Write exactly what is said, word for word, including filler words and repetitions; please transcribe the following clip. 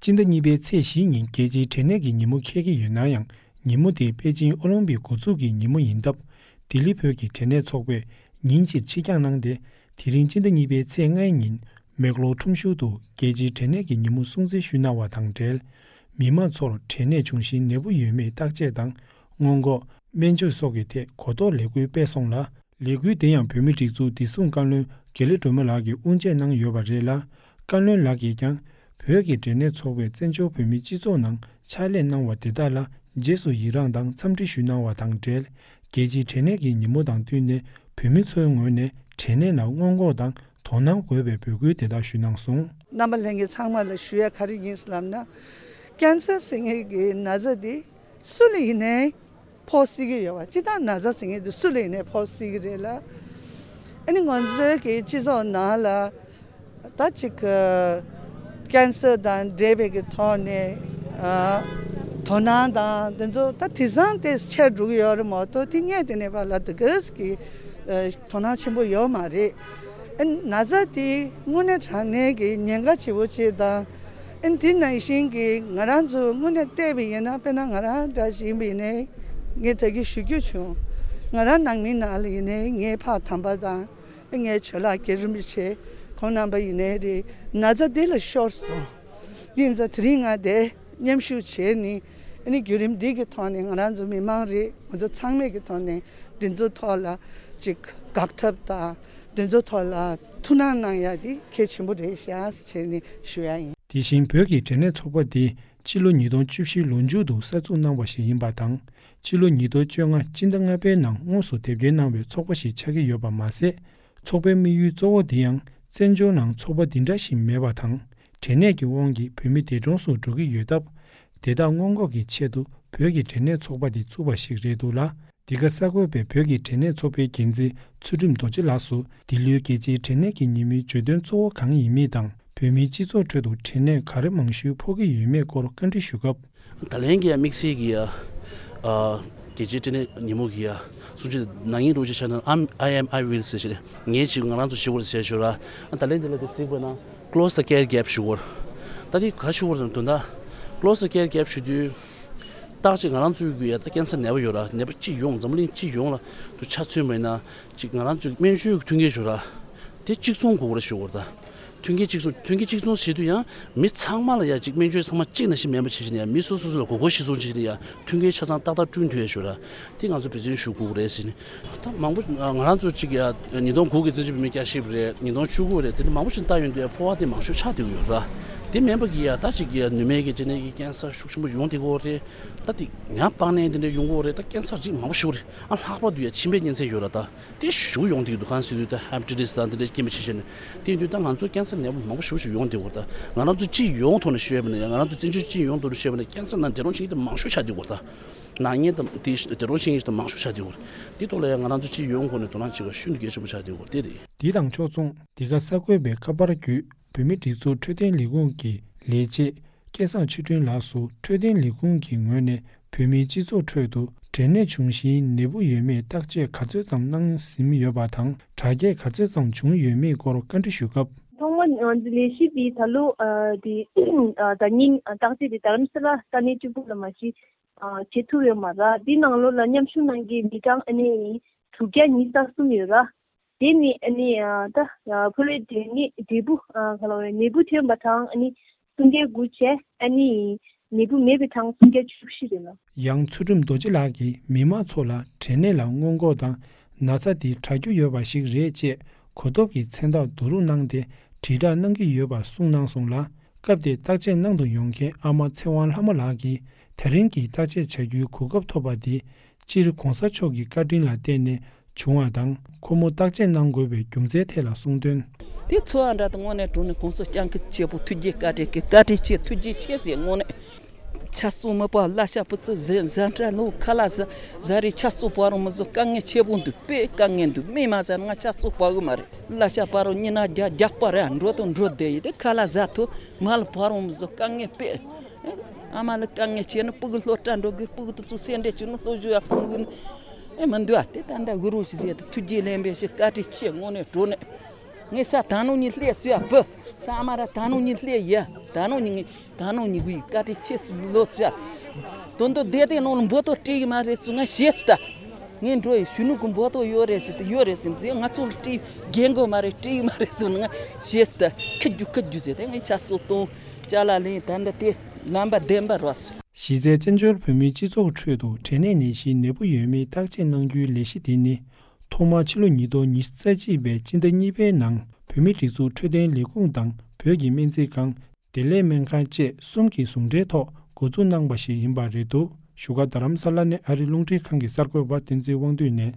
སྤྱི་ཟླ་གཉིས་པའི་ཚེས་བཞི་ཉིན་རྒྱལ་སྤྱིའི་དྲན་གནས་ཀྱི་ཉིན་མོ་འཁེལ་གྱི་ཡོད་ན་ཡང་། ཉིན་མོ་དེ་པེ་ཅིང་ཨོ་ལིམ་པིག་འགོ་འཛུགས་ཀྱི་ཉིན་མོ་ཡིན་སྟབས། ལྡི་ལི་བོད་ཀྱི་དྲན་གནས་ཚོགས་པས་ཉིན་གཅིག་ཕྱིར་འགྱངས་གནང་སྟེ། དེ་རིང་སྤྱི་ཟླ་གཉིས་པའི་ཚེས་ལྔའི་ཉིན། མེག་ལོར་ཁྲོམ་གཞུང་དུ་རྒྱལ་སྤྱིའི་དྲན་གནས་ཀྱི་ཉིན་མོ་སྲུང་བརྩི་ཞུས་གནང་བ་དང་འབྲེལ། མི་མང་ཚོར་དྲན་གནས་འབྱུང་བཞིའི་ནད་འབུ་ཡོད་མེད་བརྟག་དཔྱད་དང་། སྔོན་འགོག་སྨན་བཅོས་སོགས་ཀྱི་ཐད་གོ་རྟོགས་ལས་འགུལ་སྤེལ་སོང་ལ། ལས་འགུལ་དེ་ཡང་བོད་མིའི་སྒྲིག་འཛུགས་བདེ་སྲུང་བཀའ་བློན་དགེ་ལེགས་སྒྲོལ་མ་ལགས་ཀྱིས་དབུ་འབྱེད་གནང་ཡོད་པ་རེད་ལ། བཀའ་བློན་ལགས་ཀྱིས་ཀྱང་། བོད་ཀྱི་དྲན་གནས་ཚོགས་པས་བཙན་བྱོལ་བོད་མིའི་སྤྱི་ཚོགས་ནང་ཕྱག་ལས་གནང་བ་དེ་དག་ལ་རྗེས་སུ་ཡི་རངས་དང་འཚམས་འདྲི་ཞུས་གནང་བ་དང་འབྲེལ། རྒྱལ་སྤྱིའི་དྲན་གནས་ཀྱི་ཉིན་མོ་དང་བསྟུན་ནས་བོད་མི་ཚོའི་ངོས་ནས་དྲན་གནས་ལ་སྔོན་འགོག་དང་དོ་སྣང་དགོས་པའི་འབོད་སྐུལ་དེ་དག་ཞུས་གནང་སོང་། རྣམ་པ་ལྷན་རྒྱས་ཚང་མ་ལ་ཞུ་ཡ་ག་རེ་ཡིན་ལབ་ན། ཀན་སར་ཟེར་མཁན་གྱི་ན་ཚ་འདི་སུ་ལ་ཡིན་ནའི་ཕོག་སྲིད་ཀྱི་ཡོད་པ། སྤྱིར་བཏང་ན་ཚ་ཟེར་མཁན་འདི་སུ་ལ་ཡིན་ནའི་ཕོག་སྲིད་ཀྱི་རེད་ལ། ཨ་ནི་ང་ཚོའི་གི་སྤྱི་ཚོགས་ནང་ལ་ད་ཅིག་ཀན་སར་དང་འབྲེལ་བའི་གི་ཐོག་ནས་ཨ་དོ་སྣང་དང་དེ་ཚོ་ད་དེང་སང་དེ་ཆེར་འགྲོ་གི་ཡོད་རེད་མ་གཏོགས། དེ་སྔས་དེ་ནས་ཕར་ལ་དེ་གས་ཀྱི་ཨ་དོ་སྣང་ཆེན་པོ་ཡོད་མ་རེད། ཨ་ནི་ན་ཚ་དེ་དངོས་གནས་དྲང་གནས་ཀྱི་ཉེན་ཁ་ཆེ་བོ་ཅིག་དང་། ཨ་ནི་དེ་ནང་བཞིན་གྱི་ང་རང་ཚོ་དངོས་གནས་བལྟས་པ་ཡིན་ན། དཔེར་ན་ང་རང་འདྲ་ཞིག་ཡིན་པ་ཡིན་ནའི། ངས་ད་གིན་ཞུ་རྒྱུ་བྱུང་། ང་རང་ནང་མི་ནང་ལ་ཡིན་ནའི་ངའི་ཕ་དམ་པ་དང་། ངའི་ཇོ་ལགས་རྒན་རིན་པོ་ཆེ་ཁོང་རྣམ་པ་ཡིན་ནའི་རེད། ན་ཚ་འདི་ལ་ཤོར་སོང་། ཡིན་ཙང་དེ་རིང་ང་འདིར་མཉམ་ཞུགས་བྱས་ནས། ཨ་ནི་བརྒྱུད་རིམ་འདི་གི་ཐོག་ནས་ང་རང་ཚོ་མི་མང་རེད། ང་ཚོ་ཚང་མས་ཀྱི་ཐོག་ནས་འདི་ཚོ་ཐོག་ལ་ཅིག་དགག་ཐབས་དང་། འདི་ཚོ་ཐོག་ལ་ཐུགས་སྣང་གནང་ཡ་དེ་གལ་ཆེན་པོ་རེད་ཤག་ཟེར་ནས་ཞུ་ཡ་ཡིན། དེ་བཞིན་བོད་ཀྱི་དྲན་གནས་ཚོགས་པ་འདི་ཕྱི་ལོ་ཉིས་སྟོང་བཅུ་བཞི་ལོ་མཇུག་ཏུ་གསར་འཛུགས་གནང་བ་ཞིག་ཡིན་པ་དང་། ཕྱི་ལོ་ཉིས་སྟོང་བཅོ་ལྔ་སྤྱི་ཟླ་ལྔ་པའི་ནང་དངོས་སུ་དེབ་སྐྱེལ་གནང་བའི་ཚོགས་པ་ཞིག་ཆགས་ཀྱི་ཡོད་པ་མ་ཟད། ཚོགས་པའི་དམིགས་ཡུལ་གཙོ་བོ་འདི་ཡང་བཙན་བྱོལ་ནང་ཚོགས་པ་འདི་འདྲ་ཞིག་མེད་པ་དང་། དྲན་གནས་ཀྱི་དབང་གིས་བོད་མི་འདས་གྲོངས་སུ་འགྲོ་གི་ཡོད་སྟབས། དེ་དག་སྔོན་འགོག་གི་ཆེད་དུ་བོད་ཀྱི་དྲན་གནས་ཚོགས་པ་འདི་བཙུགས་པ་ཞིག་རེད་འདུག་ལ། འདི་ག་གསར་འགོད་པས་བོད་ཀྱི་དྲན་གནས་ཚོགས་པའི་འགན་འཛིན་ཚུལ་ཁྲིམས་རྡོ་རྗེ་ལགས་སུ་འདི་ལོའི་རྒྱལ་སྤྱིའི་དྲན་གནས་ཀྱི་ཉིན་མོའི་བརྗོད་དོན་གཙོ་བོ་གང་ཡིན་མིན་དང་། བོད་མིའི་སྤྱི་ཚོགས་ཁྲོད་དུ་དྲན་གནས་ག་རེ་མང་ཤོས་ཕོག་གི་ཡོད་མེད་སྐོར་བཀའ་འདྲི་ཞུས་སྐབས། ད་ལན་གྱི་ཡ་དམིགས་བསལ་གྱི་ཡ། ཨ། རྒྱལ་སྤྱིའི་དྲན་གནས་ཉིན་མོ་གི་ཡ། གསུང་ཆོས་ནང་ཉིན་རུ་ཅིག་བྱས་ན། I'm- I am- I will ཟེར་ཞིག་རེད། ངས་ཅིག་ང་རང་ཚོ་ཞུ་བར་ཟེར་ཞུ་ར། ཨ། ད་ལན་དེ་ལ་དེ་གཟིགས་པ་ན། Close the care gap ཞུ་བར། ད་དེ་ག་ཞུ་བར་དང་དོན་དག Close the care gap ཞུ་དུས། ཏག་ཅིག་ང་རང་ཚོའི་གི་ཡ་ད་ཀན་སར་ནད་པ་ཡོད་ར། ནད་པ་སྤྱི་ཡོངས། འཛམ་བུ་གླིང་སྤྱི་ཡོངས་ལ་དུ་ཆ་མཚོན་པ་ཡིན་ན། ཅིག་ང་རང་ཚོའི་སྨན་བཅོས་ཀྱི་མཐུན་རྐྱེན་ཞུ་ར། དེ་གཅིག་མཚུངས་དགོས་རེད་ཞུ་དགོས་རེད་ད། མཐུན་རྐྱེན་གཅིག་མཚུངས། མཐུན་རྐྱེན་གཅིག་མཚུངས་བྱེད་དུས་ཡང་མི་ཚང་མ་ལ་ཡ་ཅིག་སྨན་བཅོས་ཚང་མ་གཅིག་ནང་བཞིན་མེད་པ་བྱེད་བཞིན་ཡ། མི་སོ་སོ་སོ་ལ་དགོས་མཁོ་གཞིར་བཟུང་བྱེད་བཞིན་ཡ། མཐུན་རྐྱེན་ཆ་ཚང་ཏག་ཏག་བསྐྲུན་ཐུབ་ཡ་ཞུ་ར། དེ་ང་ཚོ་འབད་བརྩོན་ཞུ་དགོས་རེད་ཟེར་ནས། ད་མང་པོ་ང་རང་ཚོ་གཅིག་ཡ་ཉིས་སྟོང་དགུ་གི་བཙན་བྱོལ་བོད་མིའི་བསྐྱར་ཞིབ་རེད། ཉིས་སྟོང་བཅུ་དགུ་རེད། དེ་འདྲ་མང་པོ་ཞིག་བལྟ་ཡོང་དུས་ཡ་ཕོ་བ་དེ་མང་ཤོས་ཆགས་བསྡད་ཡོད་ར། དེ་མིན་པ་གི་ཡ་ད་ཅིག་གི་ཡ་ནུ་མའི་གི་དེ་ནས་ཀྱི་ཀན་སར་ཤུགས་ཆེན་པོ་ཡོང་བསྡད་ཀྱི་ཡོད་རེད། ད་དེ་ཡང་པགས་ནད་དེ་འདྲ་ཡོང་གི་ཡོད་རེད། ད་ཀན་སར་ཅིག་མང་པོ་ཞིག་རེད། ཨ། ལྷག་པར་དུ་ཡ་མཆིན་པའི་གཉན་ཚད་ཡོད་ར། ད་དེ་ཞེ་པོ་ཡོང་བསྡད་ཀྱི་འདུག་གང་ཟེར་དུས་ད་ཧེ་པ་ཊའི་ཊི་སི་དང་དེ་འདྲ་རྐྱེན་པས་བྱས་བྱས་ནས། དེ་ཡིན་དུས་ད་ང་ཚོ་ཀན་སར་ནད་པ་མང་པོ་ཞེ་པོ་ཞིག་ཡོང་བསྡད་ཀྱི་ཡོད་རེད། ད་ང་རང་ཚོ་སྤྱི་ཡོངས་ཐོག་ནས་ཤོད་པ་ན་ཡ། ང་རང་ཚོ་བཙན་བྱོལ་སྤྱི་ཡོངས་ཐོག་ནས་ཤོད་པ་ན་ཀན་སར་ནང་འདས་གྲོངས་ཕྱིན་མཁན་དེ་མང་ཤོས་ཆགས་བསྡད་ཀྱི་ཡོད་རེད། ད། ནག་ཉེས་དང་དེ་དེ་རོ་ཤིང་ཡིན་དང་མང་ཤོས་ཆགས་བསྡད་ཡོད་རེད། དེ་ཐོག་ལ་ཡང་ང་རང་ཚོ་སྤྱི་ཡོངས་ཁོ་ནས་དོ་སྣང་བྱེད་པ་ཤིན་ཏུ་གལ་ཆེན་པོ་ཆགས་བསྡད་ཡོད་རེད། དེ་རེད། འདི་དང་ཕྱོགས་མཚུངས། འདི་ག་གསར་འགོད་པས་ཁ་པར་བརྒྱུད་བོད་མིའི་སྒྲིག་འཛུགས་འཕྲོད་བསྟེན་ལས་ཁུངས་ཀྱི་ལས་བྱེད་སྐལ་བཟང་ཆོས་སྒྲོན་ལགས་སུ། འཕྲོད་བསྟེན་ལས་ཁུངས་ཀྱི་ངོས་ནས་བོད་མིའི་སྤྱི་ཚོགས་ཁྲོད་དུ་དྲན་གནས་འབྱུང་བཞིའི་ནད་འབུ་ཡོད་མེད་བརྟག་དཔྱད་ག་ཚོད་ཙམ་གནང་ཟིན་ཡོད་པ་དང་། དྲག་སྐྱེད་ག་ཚོད་ཙམ་བྱུང་ཡོད་མེད་སྐོར་བཀའ་འདྲི་ཞུ་སྐབས། ཐོག་མར་ང་ཚོ་ལས་བྱེད་པས་ད་ལོ་ཨ་དེ་ཨ་ཟླ་ཉིན་ཨ་བརྟག་དཔྱད་དེ་རྡ་རམ་ས་ལ་ས་གནས་གཅིག་པུ་ལ་མ་གཞི་ཨ་བྱེད་ཐུབ་ཡོད་མ་རེད། འདི་ནང་ལོགས་ལ་མཉམ་ཞུགས་གནང་མཁན་མི་གྲངས་ཨ་ནི་དྲུག་བརྒྱ་ཉི་ཤུ་རྩ་གསུམ་ཡོད་ར། དེ་ནི་ཨ་ནི་ཨ་ད་ཨ་ཕོ་བའི་འབྲས་ནད་འབྲས་བུ་ཨ་ག་ལ་བའི་ནད་འབུ་ཐོན་པ་གྲངས་ཨ་ནི་སུམ་བརྒྱ་དགུ་བྱས། ཨ་ནི་ནད་འབུ་མེད་པའི་གྲངས་སུམ་བརྒྱ་བཅུ་བཞི་རེད་ལ། ཡང་ཚུལ་ཁྲིམས་རྡོ་རྗེ་ལགས་ཀྱིས་མི་མང་ཚོ་ལ་དྲན་གནས་ལ་སྔོན་འགོག་དང་། ན་ཚ་འདི་དྲག་རྒྱུ་ཡོད་པ་ཞིག་རེད་ཅེས་གོ་རྟོགས་ཀྱི་མཚན་རྟགས་བསྡུ་རུབ་གནང་སྟེ་དྲིལ་བསྒྲགས་གནང་གི་ཡོད་པ་གསུངས་གནང་སོང་ལ། སྐབས་དེར་བརྟག་དཔྱད་གནང་དུ་ཡོང་མཁན་ཨ་མ་ཚེ་དབང་ལྷ་མོ་ལགས་ཀྱིས། ད་རིང་གི་བརྟག་དཔྱད་བྱ་རྒྱུའི་གོ་སྐབས་ཐོབ་པ་འདིས། སྤྱིར་གོང་ས་མཆོག་གི་བཀའ་དྲིན་ལ་བརྟེན་ནས་བྱུང་བ་དང་། ཁོ་མོ་བརྟག་དཔྱད་གནང་དགོས་པའི་རྒྱུ་མཚན་ཐད་ལ་གསུངས་དོན། དེ་ཚོར་བ་འདྲ་དང་། དངོས་གནས་དྲང་གནས་གོང་ས་སྐྱབས་མགོན་ཆེན་པོ་ཐུགས་རྗེ་བཀའ་དྲིན་གྱིས། བཀའ་དྲིན་ཆེ། ཐུགས་རྗེ་ཆེ་ཟེར། དངོས་གནས། ཆབ་སྲིད་མི་པ་གླ་ཆ་པུ་ཙི་ཟེ་ཟ་འདྲ་ལོ་ཁ་ལག་ཟ་ཟ་རེ་ཆབ་སྲིད་བར་མི་བཟོ་དཀའ་ངལ་ཆེ་པོ་འདུག་དཔེ་དཀའ་ངལ་འདུག་མི་མ་ཟ་ང་ཆབ་སྲིད་བར་གི་མ་རེད། གླ་ཆ་བར་ཉི་ན་རྒྱ་རྒྱག་པ་རེད། འགྲོ་དང་འགྲོ་བསྡད་ཡི་དེ་ཁ་ལག་ཟ་ཐུབ་མ་ལ་བར་མི་བཟོ་དཀའ་ངལ་དཔེ། ཨ་མ་ལ་དཀའ་ངལ་ཆེ་ན་སྤུ་གུ་སློབ་གྲྭ་འགྲོ་དགོས། སྤུ་གུ་དེ་ཚོ་སེ་འབྲས་བྱུང་ན་སློབ་ཞུ་ཡག་མི་དགོས་ནི་ཨེ་མི་འདུག་ཨ་དེ་ད་ལྟ་གུ་རུ་ཞིག་ཟེར་དེ་ཐུགས་རྗེ་ལན་པས་ཞེས་བཀའ་དྲིན་ཆེ། དངོས་གནས་དྲང་གནས། ངས་ས་ད་ནོ་ཉི་ལྷེ་སུ་ཡ་བུ། ས་ཨ་མ་ར་ད་ནོ་ཉི་ལྷེ་ཡ། ད་ནོ་ཉི་ངས་ད་ནོ་ཉི་གུའི་བཀའ་དྲིན་ཆེ་སུ་ལོ་སུ་ཡ། དོན་དུ་བདེ་བདེ་ནོ་ལ་འབོ་ཏོ་སྤྲད་ཡི་མ་རེད་སུ་ང་ཤེས་སུ་ད། ངས་འགྲོ་ཡི་གཞོན་ནུ་གི་འབོ་ཏོ་ཡོད་རེད་ཟེར་ཏེ་ཡོད་རེད་ཟེར་ཏེ་ང་ཚོ་ལ་སྤྲད་རྒན་གོ་མ་རེད་སྤྲད་ཡི་མ་རེད་སུ་ང་ཤེས་སུ་ད། ཁི་རྒྱུ་ཁི་རྒྱུ་ཟེར་ཏེ་ངས་ཆ་སོ་གཏོང་ཅ་ལ་ལེན་ད་འདི་དེ་ལམ་པ་བདེན་པ་རོ་སུ། གཞི་རྩའི་བཙན་བྱོལ་བོད་མིའི་སྤྱི་ཚོགས་ཁྲོད་དུ་གྲས་ནད་ནད་གཞིའི་ནད་འབུ་ཡོད་མེད་བརྟག་དཔྱད་གནང་རྒྱུའི་ལས་གཞི་འདི་ནི། ཐོག་མར་ཕྱི་ལོ་ཉིས་སྟོང་ཉི་ཤུ་རྩ་གཅིག་པའི་སྤྱི་ཟླ་གཉིས་པའི་ནང་བོད་མིའི་སྒྲིག་འཛུགས་འཕྲོད་བསྟེན་ལས་ཁུངས་དང་བོད་ཀྱི་སྨན་རྩིས་ཁང་། བདེ་ལེགས་སྨན་ཁང་བཅས་གསུམ་གྱི་ཟུང་འབྲེལ་ཐོག་འགོ་འཛུགས་གནང་པ་ཞིག་ཡིན་པ་རེད་འདུག་བཞུགས་སྒར་རྡ་རམ་ས་ལ་ནས་ཨ་རིའི་རླུང་འཕྲིན་ཁང་གི་གསར་འགོད་པ་བསྟན་འཛིན་དབང་འདུས་ནས།